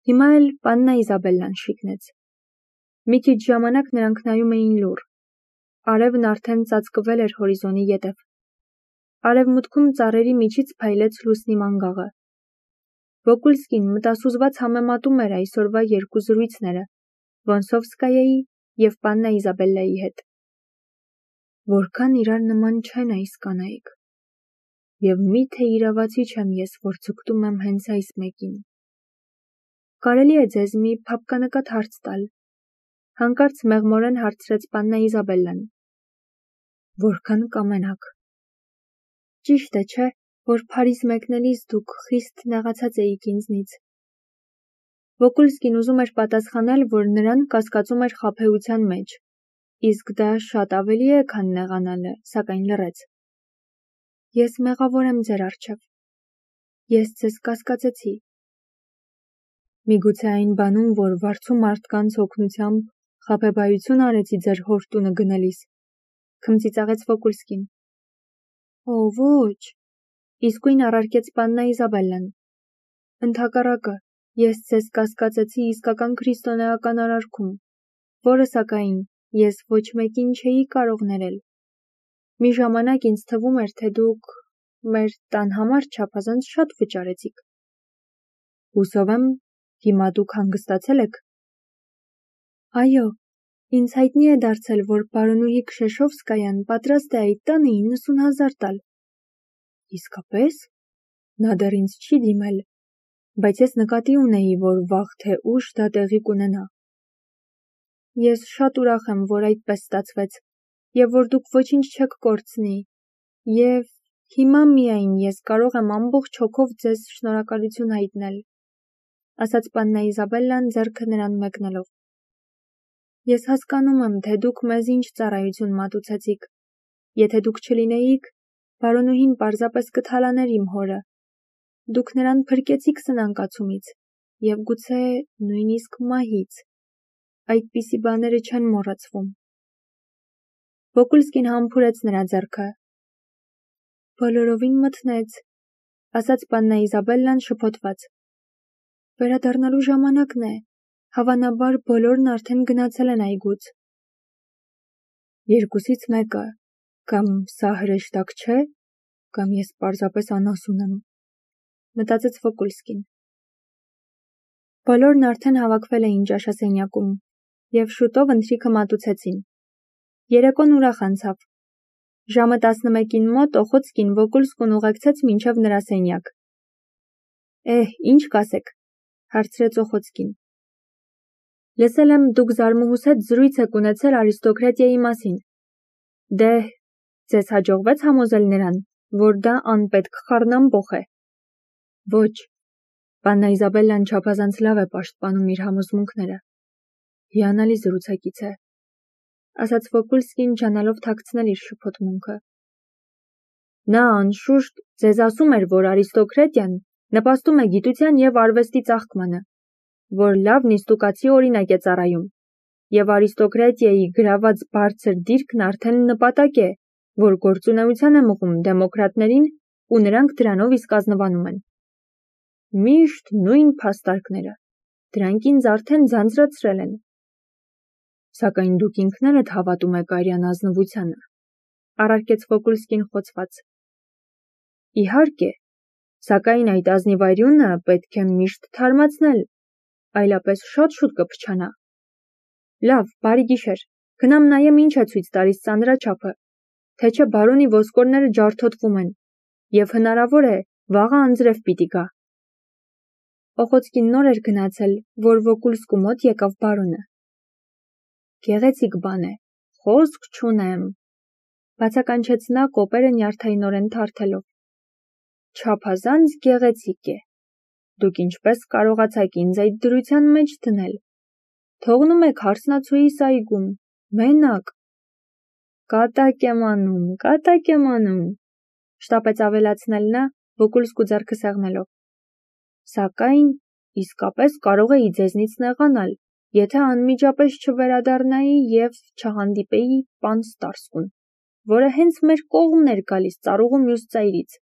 Հիմա էլ Պաննա Իզաբելլան շիկնեց։ Մի քիչ ժամանակ նրանք նայում էին լուռ։ Արևն արդեն ծածկվել էր հորիզոնի ետև։ Արևմուտքում ծառերի միջից փայլեց լուսնի մանգաղը։ Վոկուլսկին մտասուզված համեմատում էր այսօրվա երկու զրույցները՝ Վոնսովսկայայի և Պաննա Իզաբելլայի հետ։ Որքան իրար նման չեն այս կանայք։ Եվ միթե իրավացի չեմ ես, որ ձգտում եմ հենց այս մեկին։ Կարելի է ձեզ մի փափկանկատ հարց տալ, հանկարծ մեղմորեն հարցրեց Պաննա Իզաբելլան։ Որքան կամենաք։ Ճիշտ է, չէ, որ Փարիզ մեկնելիս դուք խիստ նեղացած էիք ինձնից։ Վոկուլսկին ուզում էր պատասխանել, որ նրան կասկածում էր խաբեության մեջ, իսկ դա շատ ավելի է, քան նեղանալը, սակայն լռեց։ Ես մեղավոր եմ ձեր առջև։ Ես ձեզ կասկածեցի։ Միգուցե այն բանում, որ վարձու մարդկանց օգնությամբ խաբեբայություն արեցի ձեր հոր տունը գնելիս, քմծիծաղեց Վոկուլսկին։ Օ, ոչ, իսկույն առարկեց Պաննա Իզաբելլան։ Ընդհակառակը, ես ձեզ կասկածեցի իսկական քրիստոնեական արարքում, որը սակայն ես ոչ մեկին չէի կարող ներել։ Մի ժամանակ ինձ թվում էր, թե դուք մեր տան համար չափազանց շատ վճարեցիք։ Հուսով եմ, հիմա դուք հանգստացել եք։ Այո, ինձ հայտնի է դարձել, որ պարոնուհի Քշեշովսկայան պատրաստ է այդ տանը 90,000 տալ։ Իսկապես, նա դեռ ինձ չի դիմել, բայց ես նկատի ունեի, որ վաղ թե ուշ դա տեղի կունենա։ Ես շատ ուրախ եմ, որ այդպես ստացվեց, և որ դուք ոչինչ չեք կորցնի, և հիմա միայն ես կարող եմ ամբողջ հոգով ձեզ շնորհակալություն հայտնել, ասաց Պաննա Իզաբելլան ձեռքը նրան մեկնելով։ Ես հասկանում եմ, թե դուք մեզ ինչ ծառայություն մատուցեցիք։ Եթե դուք չլինեիք, պարոնուհին պարզապես կթալաներ իմ հորը։ Դուք նրան փրկեցիք սնանկացումից և գուցե նույնիսկ մահից։ Այդպիսի բաները չեն մոռացվում։ Վոկուլսկին համբուրեց նրա ձեռքը։ Բոլորովին մթնեց, ասաց Պաննա Իզաբելլան շփոթված։ Վերադառնալու ժամանակն է, հավանաբար բոլորն արդեն գնացել են այգուց։ Երկուսից մեկը, կամ սա հրեշտակ չէ, կամ ես պարզապես անասուն եմ, մտածեց Վոկուլսկին։ Բոլորն արդեն հավաքվել էին ճաշասենյակում, և շուտով ընթրիքը մատուցեցին։ Երեկոն ուրախ անցավ։ Ժամը 11-ին մոտ Օխոցկին Վոկուլսկուն ուղեկցեց մինչև նրա սենյակ։ Ինչ կասեք, հարցրեց Օխոցկին։ Լսել եմ, դուք զարմուհուս հետ զրույց եք ունեցել արիստոկրատիայի մասին։ Դե, ձեզ հաջողվեց համոզել նրան, որ դա անպետք խառնամբոխ է։ Ոչ, Պաննա Իզաբելլան չափազանց լավ է պաշտպանում իր համոզմունքները։ Հիանալի զրուցակից է, ասաց Վոկուլսկին ջանալով թաքցնել իր շփոթմունքը։ Նա անշուշտ ձեզ ասում էր, որ արիստոկրատիան նպաստում է գիտության և արվեստի ծաղկմանը, որ լավ նիստուկացի օրինակ է ծառայում, և արիստոկրատիայի գրաված բարձր դիրքն արդեն նպատակ է, որ գործունեության է մղում դեմոկրատներին ու նրանք դրանով իսկ ազնվանում են։ Միշտ նույն փաստարկները, դրանք ինձ արդեն ձանձրացրել են։ Սակայն դուք ինքներդ հավատում եք արյան ազնվությանը, առարկեց Վոկուլսկին խոցված։ Իհարկե, սակայն այդ ազնիվարյունը պետք է միշտ թարմացնել, այլապես շատ շուտ կփչանա։ Լավ, բարի գիշեր, գնամ նայեմ ինչ է ցույց տալիս ծանրաչափը, թե չէ բարոնի ոսկորները ջարդոտվում են, և հնարավոր է, վաղը անձրև պիտի գա։ Օխոցկին նոր էր գնացել, որ Վոկուլսկու մոտ եկավ բարոնը։ Գեղեցիկ բան է, խոսք չունեմ, բացականչեց նա կոպերը նյարդայնորեն թարթելով։ Չափազանց գեղեցիկ է։ Դուք ինչպես կարողացաք ինձ այդ դրության մեջ դնել։ Թողնում եք հարսնացուիս այգում, մենակ։ Կատակ եմ անում, շտապեց ավելացնել նա, Վոկուլսկու ձեռքը սեղմելով։ Սակայն իսկապես կարող էի ձեզնից նեղանալ, եթե անմիջապես չվերադառնայի և չհանդիպեի պան Ստարսկուն, որը հենց մեր կողմն էր գալիս ծառուղու մյուս ծայրից։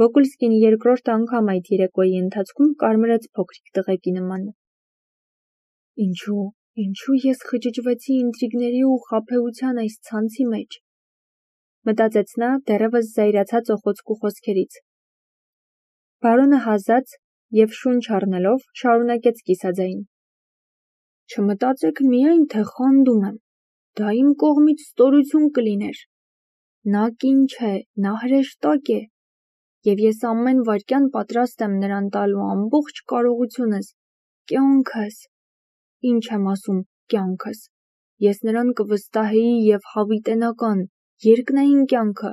Վոկուլսկին երկրորդ անգամ այդ երեկոյի ընթացքում կարմրեց փոքրիկ տղեկի նման։ Ինչու ես խճճվեցի ինտրիգների ու խաբեության այս ցանցի մեջ, մտածեց նա դեռևս զայրացած օխոցկու խոսքերից։ Բարոնը հազաց և շունչ առնելով շարունակեց կիսաձայն. Չմտածեք միայն, թե խանդում եմ, դա իմ կողմից ստորություն կլիներ։ Նա կին չէ, նա հրեշտակ է, և ես ամեն վայրկյան պատրաստ եմ նրան տալու ամբողջ կարողությունս, կյանքս, ինչ եմ ասում կյանքս, ես նրան կվստահեի և հավիտենական, երկնային կյանքը,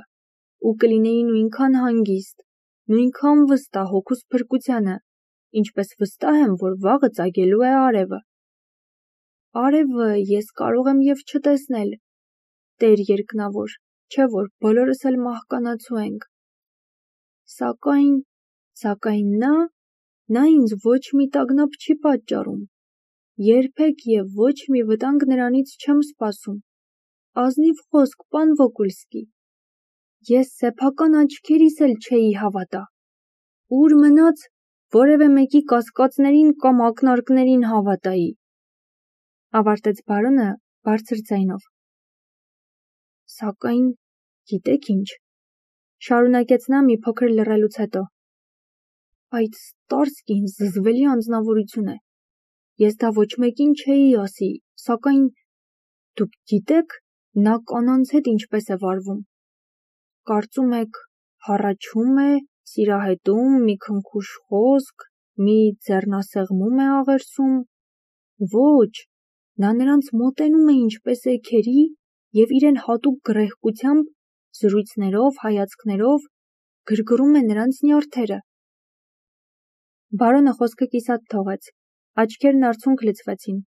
ու կլինեի նույնքան հանգիստ, նույնքան վստահ հոգուս փրկությանը, ինչպես վստահ եմ, որ վաղը ծագելու է արևը։ Արևը ես կարող եմ և չտեսնել, Տեր երկնավոր, չէ որ բոլորս էլ մահկանացու ենք։ Սակայն նա ինձ ոչ մի տագնապ չի պատճառում, երբեք և ոչ մի վտանգ նրանից չեմ սպասում։ Ազնիվ խոսք, պան Վոկուլսկի, ես սեփական աչքերիս էլ չէի հավատա։ Ուր մնաց, որևէ մեկի կասկածներին կամ ակնարկներին հավատայի։ Ավարտեց բարոնը բարձր ձայնով։ Սակայն, գիտեք ինչ, շարունակեց նա մի փոքր լռելուց հետո, այդ Ստարսկին զզվելի անձնավորություն է, ես դա ոչ մեկին չէի ասի, սակայն, դուք գիտեք, նա կանանց հետ ինչպես է վարվում, կարծում եք, հառաչում է, սիրահետում, մի քնքուշ խոսք, մի ձեռնասեղմում է աղերսում, ոչ, նա նրանց մոտենում է ինչպես էգերի և իրեն հատուկ գռեհկությամբ, զրույցներով, հայացքներով, գրգռում է նրանց նյարդերը։ Բարոնը խոսքը կիսատ թողեց, աչքերն արցունք լցվեցին։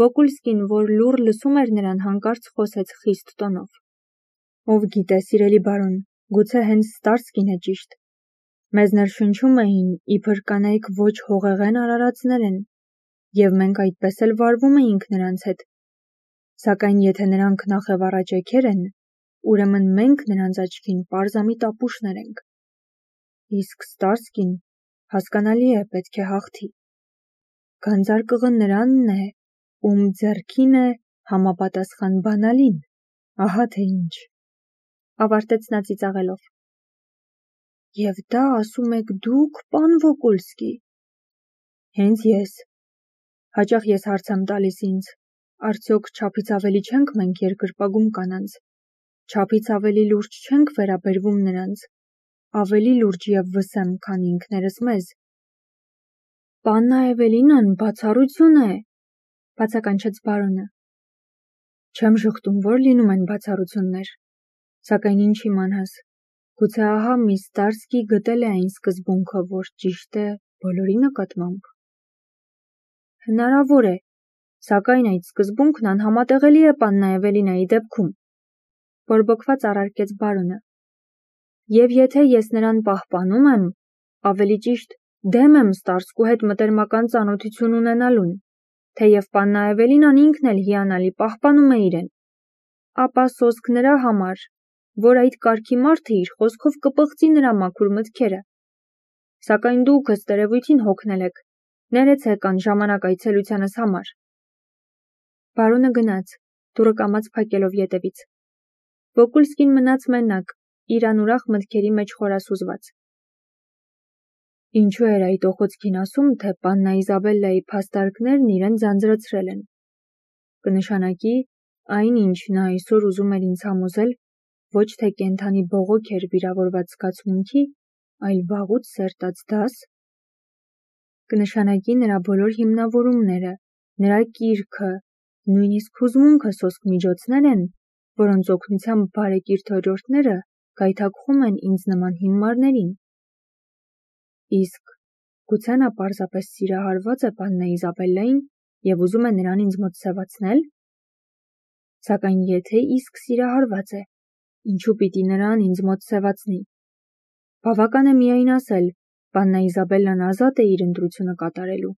Վոկուլսկին, որ լուռ լսում էր նրան, հանկարծ խոսեց խիստ տոնով. Ով գիտե, սիրելի բարոն, գուցե հենց Ստարսկին է ճիշտ։ Մեզ ներշնչում էին, իբր կանայք ոչ հողեղեն արարածներ են, և մենք այդպես էլ վարվում էինք նրանց հետ։ Սակայն եթե նրանք նախևառաճեգեր են, ուրեմն մենք նրանց աչքին պարզամիտ ապուշներ ենք։ Իսկ Ստարսկին, հասկանալի է, պետք է հաղթի։ Գանձարկղը նրանն է, ում ձեռքին է համապատասխան բանալին, ահա թե ինչ։ Ավարտեց նա ծիծաղելով։ Եվ դա ասում եք դուք, պան Վոկուլսկի։ Հենց ես։ Հաճախ ես հարց եմ տալիս ինձ, արդյոք չափից ավելի չենք մենք երկրպագում կանանց, չափից ավելի լուրջ չենք վերաբերվում նրանց, ավելի լուրջ և վսեմ, քան ինքներս մեզ։ Պաննա Էվելինան բացառություն է, բացականչեց բարոնը։ Չեմ ժխտում, որ լինում են բացառություններ, սակայն ինչ իմանաս, գուցե ահա մի Ստարսկի գտել է այն սկզբունքը, որ ճիշտ է բոլորի նկատմամբ։ Հնարավոր է, սակայն այդ սկզբունքն անհամատեղելի է պաննա Էվելինայի դեպքում, բորբոքված առարկեց բարոնը։ Եվ եթե ես նրան պահպանում եմ, ավելի ճիշտ դեմ եմ Ստարսկու հետ մտերմական ծանոթություն ունենալուն, թեև պաննա Էվելինան ինքն էլ հիանալի պահպանում է իրեն, ապա սոսկ նրա համար, որ այդ կարգի մարդը իր խոսքով կպղծի նրա մաքուր մտքերը։ Սակայն դուք ըստ երևույթին հոգնել եք, ներեցեք անժամանակ այցելությանս համար։ Բարոնը գնաց, դուռը կամաց փակելով ետևից։ Վոկուլսկին մնաց մենակ, իր անուրախ մտքերի մեջ խորասուզված։ Ինչու էր այդ օխոցքին ասում, թե պաննա Իզաբելլայի փաստարկներն իրեն ձանձրացրել են։ Կնշանակի, այն, ինչ նա այսօր ուզում էր ինձ համոզել, ոչ թե կենդանի բողոք էր վիրավորված զգացմունքի, այլ վաղուց սերտած դաս։ Կնշանակի նրա բոլոր հիմնավորումները, նրա կիրքը, նույնիսկ հուզմունքը սոսկ միջոցներ են, որոնց օգնությամբ բարեկիրթ օրիորդները գայթակղում են ինձ նման հիմարներին։ Իսկ գուցե նա պարզապես սիրահարված է պաննա Իզաբելլային և ուզում է նրան ինձ մոտ սևացնել։ Սակայն եթե իսկ սիրահարված է, ինչու պիտի նրան ինձ մոտ սևացնի։ Բավական է միայն ասել, պաննա Իզաբելլան ազատ է իր ընտրությունը կատարելու։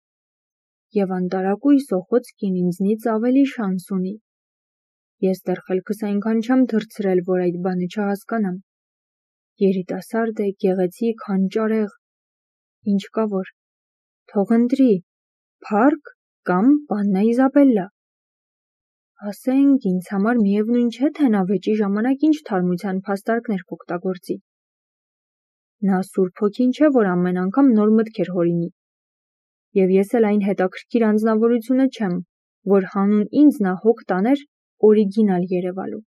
Եվ անտարակույս օխոցքին ինձնից ավելի շանս ունի։ Ես դեռ խելքս այնքան չեմ թռցրել, որ այդ բանը չհասկանամ։ երիտասարդ է, գեղեցիկ, հանճարեղ, ինչ կա որ, թող ընտրի, Փարք կամ Պաննա Իզաբելլա։ Ասենք, ինձ համար միևնույն չէ, թե նա վեճի ժամանակ ինչ թարմության փաստարկներ կօգտագործի։ Նա սուրբ հոգին չէ, որ ամեն անգամ նոր մտքեր հորինի։ Եվ ես էլ այն հետաքրքիր անձնավորությունը չեմ, որ հանուն ինձ նա հոգ տաներ օրիգինալ երևալու։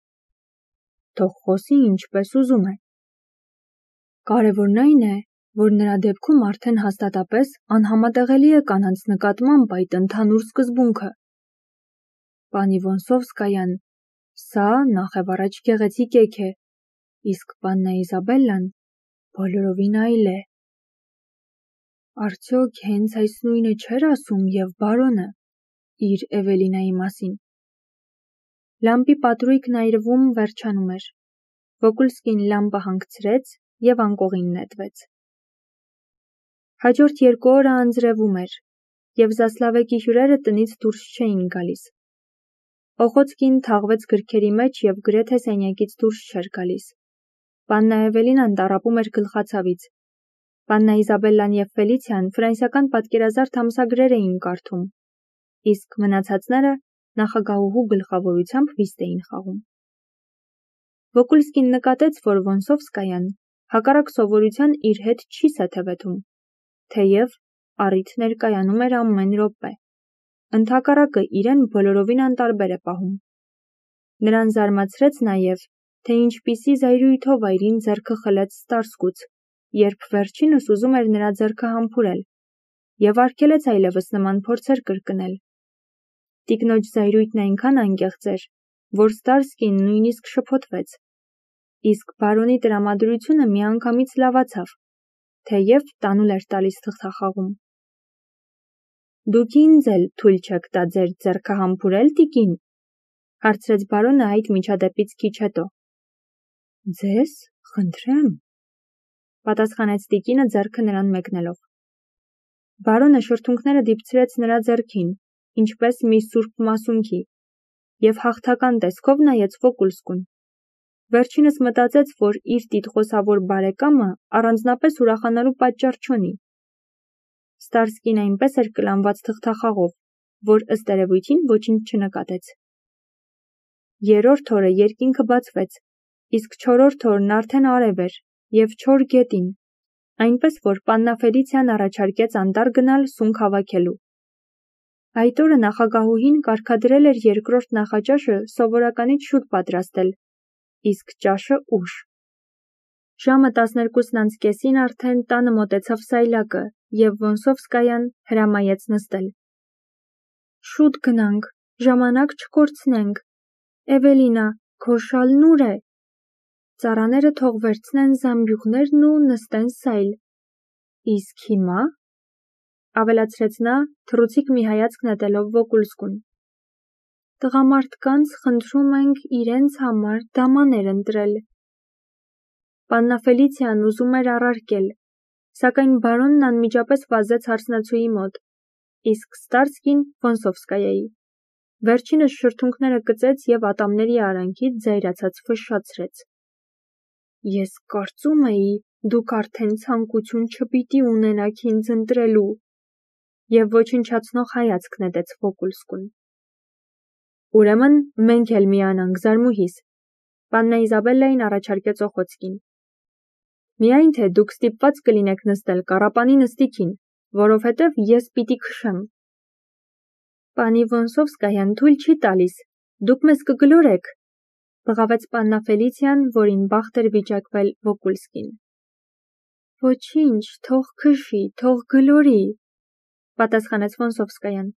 Թող խոսի ինչպես ուզում է։ Կարևորն այն է, որ նրա դեպքում արդեն հաստատապես անհամատեղելի է կանանց նկատմամբ այդ ընդհանուր սկզբունքը։ Պանի Վոնսովսկայան, սա նախևառաջ գեղեցիկ էգ է, իսկ Պաննա Իզաբելլան բոլորովին այլ է։ Արդյոք հենց այս նույնը չէր ասում և բարոնը իր Էվելինայի մասին։ Լամպի պատրույգն այրվում վերջանում էր։ Վոկուլսկին լամպը հանգցրեց և անկողին նետվեց։ Հաջորդ 2 օրը անձրևում էր, և Զասլավեկի հյուրերը տնից դուրս չէին գալիս։ Օխոցկին թաղվեց գրքերի մեջ և գրեթե սենյակից դուրս չէր գալիս։ Պաննա Էվելինան տառապում էր գլխացավից։ Պաննա Իզաբելլան և Ֆելիցիան ֆրանսիական պատկերազարդ ամսագրեր էին կարդում, իսկ մնացածները նախագահուհու գլխավորությամբ վիստ էին խաղում։ Վոկուլսկին նկատեց, որ Վոնսովսկայան հակառակ սովորության իր հետ չի սեթևեթում, թեև առիթ ներկայանում էր ամեն րոպե։ Ընդհակառակը իրեն բոլորովին անտարբեր է պահում։ Նրան զարմացրեց նաև, թե ինչպիսի զայրույթով այրին ձեռքը խլեց Ստարսկուց, երբ վերջինս ուզում էր նրա ձեռքը համբուրել, և արգելեց այլևս նման փորձեր կրկնել։ Տիկնոջ զայրույթն այնքան անկեղծ էր, որ Ստարսկին նույնիսկ շփոթվեց, իսկ բարոնի տրամադրությունը միանգամից լավացավ, թեև տանուլ էր տալիս թղթախաղում։ Դուք ինձ էլ թույլ չեք տա ձեր ձեռքը համբուրել, տիկին, հարցրեց բարոնը այդ միջադեպից քիչ հետո։ Ձեզ, խնդրեմ, պատասխանեց տիկինը ձեռքը նրան մեկնելով։ Բարոնը շրթունքները դիպցրեց նրա ձեռքին, ինչպես մի սուրբ մասունքի, և հաղթական տեսքով նայեց Վոկուլսկուն։ Վերջինս մտածեց, որ իր տիտղոսավոր բարեկամը առանձնապես ուրախանալու պատճառ չունի։ Ստարսկին այնպես էր կլանված թղթախաղով, որ ըստ երևույթին ոչինչ չնկատեց։ 3-րդ օրը երկինքը բացվեց, իսկ 4-րդ օրն արդեն արև էր և չոր գետին, այնպես որ Պաննա Ֆելիցիան առաջարկեց անտառ գնալ սունկ հավաքելու։ Այդ օրը նախագահուհին կարգադրել էր 2-րդ նախաճաշը սովորականից շուտ պատրաստել, իսկ ճաշը ուշ։ Ժամը 12:30-ին արդեն տանը մոտեցավ սայլակը, և Վոնսովսկայան հրամայեց նստել։ Շուտ գնանք, ժամանակ չկորցնենք։ Էվելինա, քո շալն ուր է։ Ծառաները թող վերցնեն զամբյուղներն ու նստեն սայլ։ Իսկ հիմա, ավելացրեց նա, թռուցիկ մի հայացք նետելով Վոկուլսկուն, տղամարդկանց խնդրում ենք իրենց համար դամաներ ընտրել։ Պաննա Ֆելիցիան ուզում էր առարկել, սակայն բարոնն անմիջապես վազեց հարսնացուի մոտ, իսկ Ստարսկին Վոնսովսկայայի։ Վերջինս շրթունքները կծեց և ատամների արանքից զայրացած ֆշշացրեց։ Ես կարծում էի, դուք արդեն ցանկություն չպիտի ունենաք ինձ ընտրելու, և ոչնչացնող հայացք նետեց Վոկուլսկուն։ Ուրեմն մենք էլ միանանք, զարմուհիս, Պաննա Իզաբելլային առաջարկեց Օխոցկին։ Միայն թե դուք ստիպված կլինեք նստել կառապանի նստիքին, որովհետև ես պիտի քշեմ։ Պանի Վոնսովսկայան թույլ չի տալիս, դուք մեզ կգլորեք, բղավեց Պաննա Ֆելիցիան, որին բախտ էր վիճակվել Վոկուլսկին։ Ոչինչ, թող քշի, թող գլորի, պատասխանեց Վոնսովսկայան։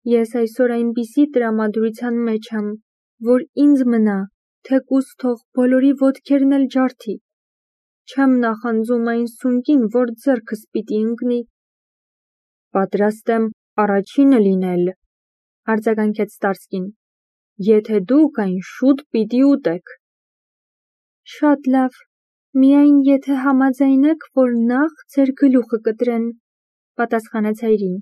Ես այսօր այնպիսի տրամադրության մեջ եմ, որ ինձ մնա, թեկուզ թող բոլորի ոտքերն էլ ջարդի։ Չեմ նախանձում այն սունկին, որ ձեռքս պիտի ընկնի։ Պատրաստ եմ առաջինը լինել, արձագանքեց Ստարսկին, եթե դուք այն շուտ պիտի ուտեք։ Շատ լավ, միայն եթե համաձայնեք, որ նախ ձեր գլուխը կտրեն, պատասխանեց հայրին։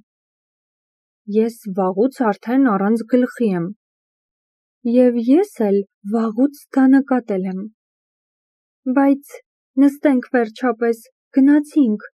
Ես վաղուց արդեն առանց գլխի եմ։ Եվ ես էլ վաղուց դա նկատել եմ։ Բայց Նստենք վերջապես, գնացինք։